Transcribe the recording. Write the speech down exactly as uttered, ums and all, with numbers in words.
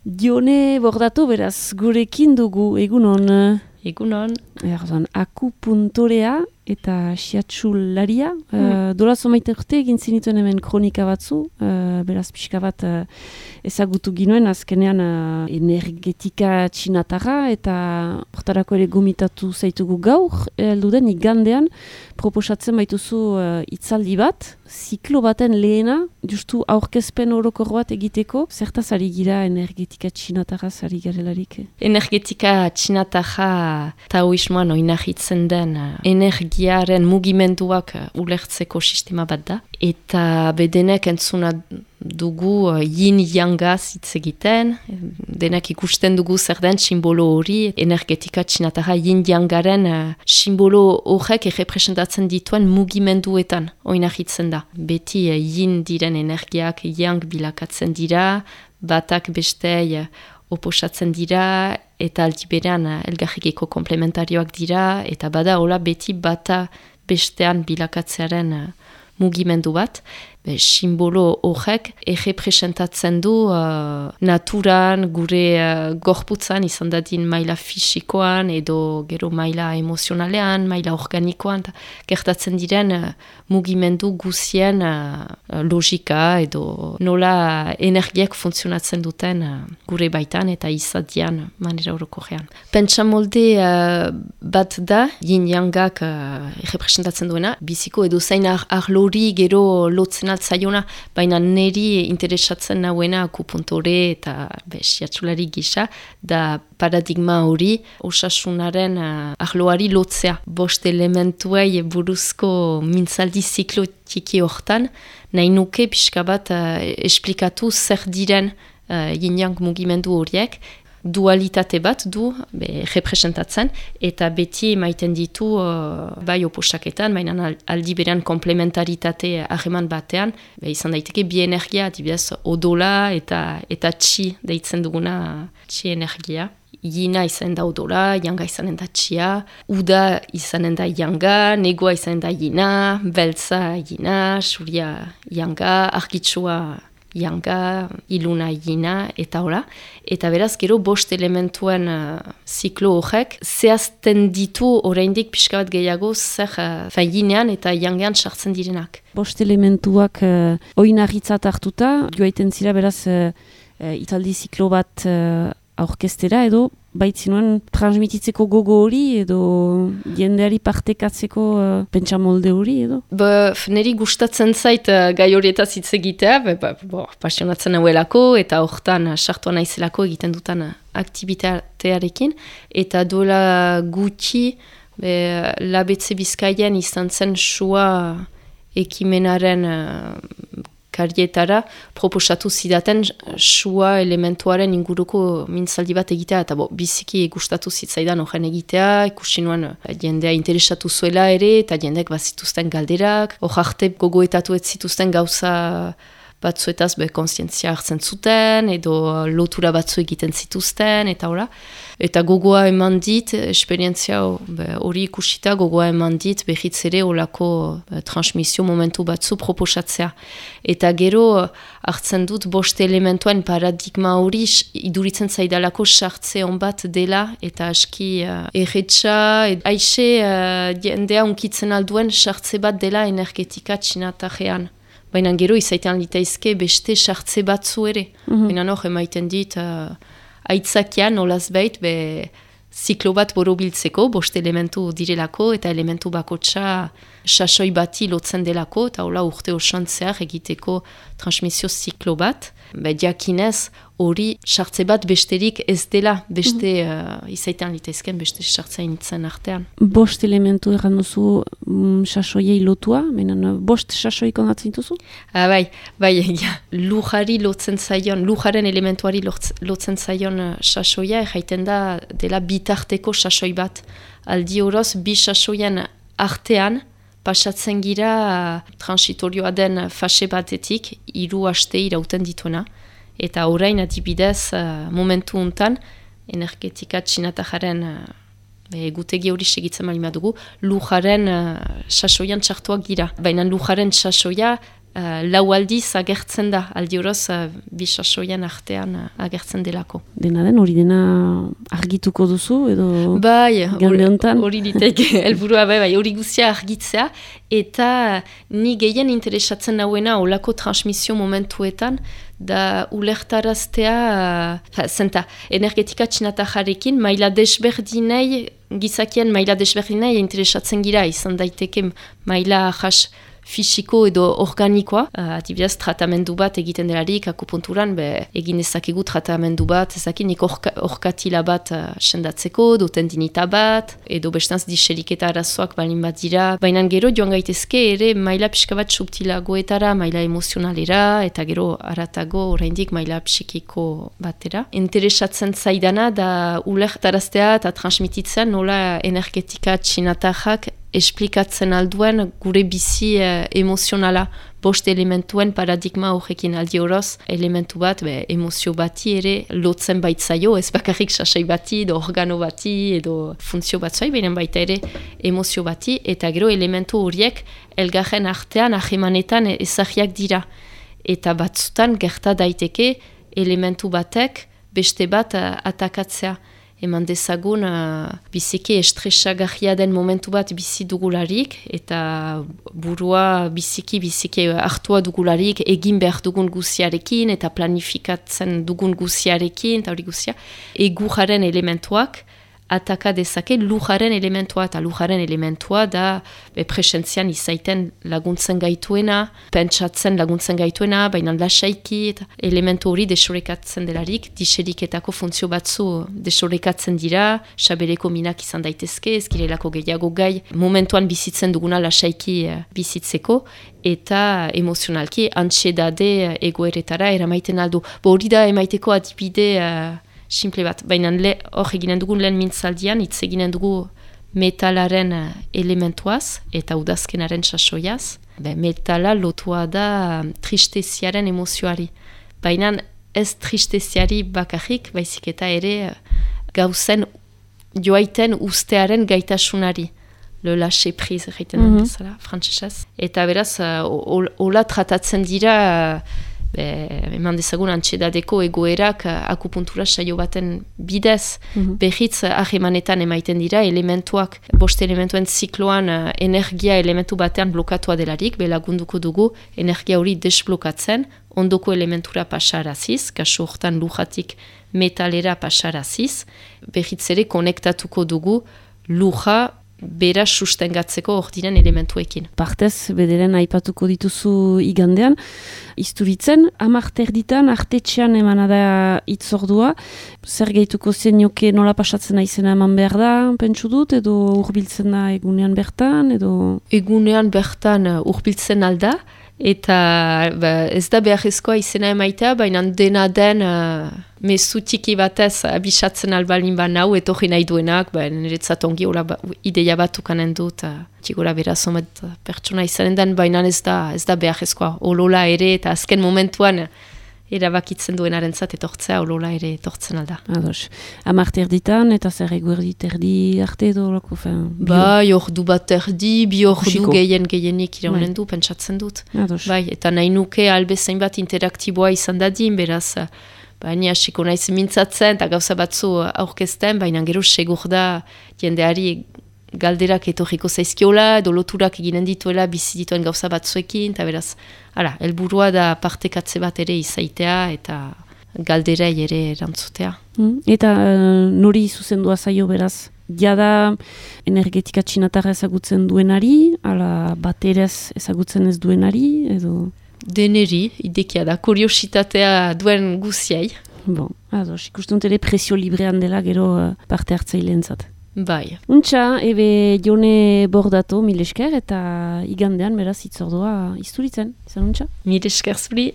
Dione Bordatu, beraz, gurekin dugu, egunon. Egunon. Erdoan, akupuntorea eta xiatsularia. Mm. Uh, Dola zomaite urte egin zinituen hemen kronika batzu, uh, beraz pixka bat uh, ezagutu ginuen, azkenean uh, energetika txinatarra eta hortarako ere gomitatu zaitugu gaur, heldu den igandean proposatzen baituzu uh, itzaldi bat, ziklo baten lehena, justu aurkezpen orokor bat egiteko, zertaz ari gira energetika txinatarra zari garelarik? Energetika txinatarra taoismoan oinahitzen den uh, energiaren mugimenduak uh, ulertzeko sistema bat da. Eta bedenek entzuna dugu uh, yin-yangaz hitz egiten, denak ikusten dugu zer den simbolo hori, energetika txinatarra yin-yangaren uh, simbolo horrek errepresentatzen dituen mugimenduetan oinahitzen da. Beti uh, yin diren energiak yang bilakatzen dira, batak bestei uh, oposatzen dira, eta aldi berean uh, elgarrikeko komplementarioak dira, eta bada hola beti bata bestean bilakatzearen uh, mugimendu bat. Be, simbolo horrek errepresentatzen du uh, naturan, gure uh, gorputzan, izan dadin maila fisikoan, edo gero maila emozionalean, maila organikoan, gertatzen diren uh, mugimendu guzien uh, logika, edo nola energiak funtzionatzen duten uh, gure baitan eta izadian manera orokorrean. Pentsa molde uh, bat da, yin-yangak uh, errepresentatzen duena, biziko edo zain ar arlori gero lotzen altzaiona, baina neri interesatzen nauena akupuntore eta xiatsulari gisa, da paradigma hori osasunaren uh, arloari lotzea. Bost elementuei buruzko mintzaldi ziklo txiki hortan, nahi nuke pixka bat uh, esplikatu zer diren uh, yin-yang mugimendu horiek, dualitate bat du, be, representatzen, eta beti maiten ditu uh, bai oposaketan, baina aldi berean komplementaritate harreman batean, be, izan daiteke bi energia, adibidez odola eta eta txi deitzen duguna txi energia. Yina izanen da odola, yanga izanen da txia, uda izanen da yanga, negoa izanen da yina, beltza yina, suria yanga, argitsua yanga, iluna yina, eta hola. Eta beraz, gero bost elementuen uh, ziklo horrek, zehazten ditu oraindik pixka bat gehiago zer uh, yinean eta yangean sartzen direnak. Bost elementuak uh, oinarritzat hartuta, joaiten zira beraz uh, uh, italdi ziklo bat uh, aurkestera edo, baitzinuen transmititzeko gogo hori edo jendeari partekatzeko uh, pentsamolde hori edo? Ba, neri gustatzen zait uh, gai horietaz hitz egitea, ba, ba, pasionatzen hauelako eta hortan uh, sartua naizelako egiten dutan uh, aktivitatearekin, eta duela gutxi be, labetze Bizkaian izan zen sua ekimenaren uh, karietara proposatu zidaten sua elementuaren inguruko mintzaldi bat egitea, eta bo, biziki gustatu zitzaidan horren egitea, ikusi nuen jendea interesatu zuela ere, eta jendeak bazituzten galderak, hor arte gogoetatu ez zituzten gauza batzuetaz be konsientzia hartzen zuten, edo lotura batzu egiten zituzten, eta hola. Eta gogoa eman dit, esperientzia hori ikusita, gogoa eman dit, behitz ere olako be, transmisio momentu batzu proposatzea. Eta gero hartzen dut bost elementuen paradigma hori iduritzen zaidalako sartze on bat dela, eta aski uh, erretxa, ed, aixe uh, jendea unkitzen alduen sartze bat dela energetika txinatarrean. Baina gero izaitean litaizke beste sartze batzu ere. Mm-hmm. Baina hor emaiten dit, uh, aitzakian olaz bait, be ziklo bat borobiltzeko, bost elementu direlako, eta elementu bakotxa sasoi bati lotzen delako, eta hola urte osoan zehar egiteko transmisio ziklo bat. Be diakinez hori sartze bat besterik ez dela, beste mm-hmm. uh, izaitean litaizken beste sartzain zen artean. Bost elementu erran duzu mm, sasoiei lotua, menen bost sasoi kondatzen duzu? Ah, bai, bai, ja, lujari lotzen zaion, lujaren elementuari lotzen zaion uh, sasoia, erraiten da dela bitarteko sasoi bat. Aldi horoz, bi sasoien artean, pasatzen gira uh, transitorioa den fase batetik, hiru aste irauten dituena. Eta orain adibidez uh, momentu untan, energetika txinatajaren uh, egutegi hori segitzen malima dugu, lujaren uh, sasoian txartuak gira. Baina lujaren sasoia uh, lau aldiz agertzen da, aldi horoz uh, bisasoian artean uh, agertzen delako. Dena den, hori dena argituko duzu, edo bai, igande honetan? Hori diteke, helburua bai, bai, hori guztia argitzea, eta ni gehien interesatzen nauena olako transmisio momentuetan, da ulertaraztea, uh, zenta, energetika txinatajarekin, maila desberdinei, gizakien maila desberdinei interesatzen gira, izan daiteke maila jas fisiko edo organikoa. Uh, Adibidez, tratamendu bat egiten delarik, akupunturan, be, egin ezakegu tratamendu bat, ezakinik orkatila bat uh, sendatzeko, do tendinita bat, edo bestanz diseriketa arazoak balin bat dira. Baina gero joan gaitezke ere maila pixka bat subtilagoetara, maila emozionalera, eta gero aratago oraindik maila psikiko batera. Interesatzen zaidana da ulertaraztea eta transmititzen nola energetika txinatajak esplikatzen alduen gure bizi eh, emozionala, bost elementuen paradigma horrekin aldi horoz, elementu bat, be, emozio bati ere lotzen baitzaio, ez bakarrik sasai bati, edo organo bati, edo funtzio batzai, benen baita ere emozio bati, eta gero elementu horiek elgarren artean ahemanetan ezagiak dira. Eta batzutan gerta daiteke elementu batek beste bat uh, atakatzea. Eman dezagun uh, biziki estresagarria den momentu bat bizi dugularik, eta burua biziki biziki hartua dugularik, egin behar dugun guziarekin, eta planifikatzen dugun guziarekin, eta hori guzia, eguraren elementuak, ataka dezake lujaren elementua, eta lujaren elementua da be, presentzian izaiten laguntzen gaituena, pentsatzen laguntzen gaituena, baina lasaiki, eta elementu hori desorekatzen delarik, diseriketako funtzio batzu desorekatzen dira, sabereko minak izan daitezke, ezkirelako gehiago gai, momentuan bizitzen duguna lasaiki bizitzeko, eta emozionalki antxedade egoeretara eramaiten aldu. Bo hori da emaiteko adibide uh, simple bat, baina hor eginen dugun lehen mintzaldian, hitz eginen dugu metalaren elementuaz eta udazkenaren sasoiaz. Be, metala lotua da tristeziaren emozioari. Baina ez tristeziari bakarrik, baizik eta ere gauzen joaiten ustearen gaitasunari. Le lâcher prise, egiten mm -hmm. bezala, frantsesez. Eta beraz, hola tratatzen dira Be, eman dezagun antxedadeko egoerak akupuntura saio baten bidez, mm-hmm. behitz ahemanetan emaiten dira elementuak, bost elementuen zikloan uh, energia elementu batean blokatua delarik, belagunduko dugu energia hori desblokatzen, ondoko elementura pasaraziz, kasu hortan lujatik metalera pasaraziz, behitz ere konektatuko dugu luja bera sustengatzeko hor diren elementuekin. Partez, bederen aipatuko dituzu igandean, Izturitzen, amarter ditan, artetxean emana da itzordua, zer gehituko zenioke nola pasatzen aizena eman behar da, pentsu dut, edo urbiltzen da egunean bertan, edo... Egunean bertan urbiltzen alda, eta ba, ez da beharrezkoa izena emaitea, baina dena den uh, mezu txiki batez abisatzen albalin ba nau, etorri nahi duenak, ba, niretzat ongi hola ba, ideia bat ukanen dut, uh, txigora beraz omet pertsona izanen den, baina ez da, ez da beharrezkoa, olola ere, eta azken momentuan erabakitzen duenarentzat etortzea, olola ere etortzen alda. Ados. Amarte erditan, eta zer eguerdi terdi arte edo lako? Bai, ordu bat erdi, bi ordu gehien gehienik iraunen du, pentsatzen dut. Ados. Bai, eta nahi nuke albezain bat interaktiboa izan dadin, beraz, baina hasiko naiz mintzatzen, eta gauza batzu aurkezten, baina gero segur da jendeari galderak etorriko zaizkiola, edo loturak eginen dituela bizi dituen gauza batzuekin, eta beraz, hala, helburua da partekatze bat ere izaitea, eta galderei ere erantzutea. Mm, eta uh, nori zuzendua zaio beraz? Jada energetika txinatarra ezagutzen duenari, ala baterez ezagutzen ez duenari, edo... Deneri, idekia da, kuriositatea duen guziai. Bon, ados, ikusten ere presio librean dela gero uh, parte hartzaileentzat. Bai. Untxa, ebe Jone Bordato, mil esker, eta igandean beraz itzordua Izturitzen. Izan untxa? Mil esker zuri.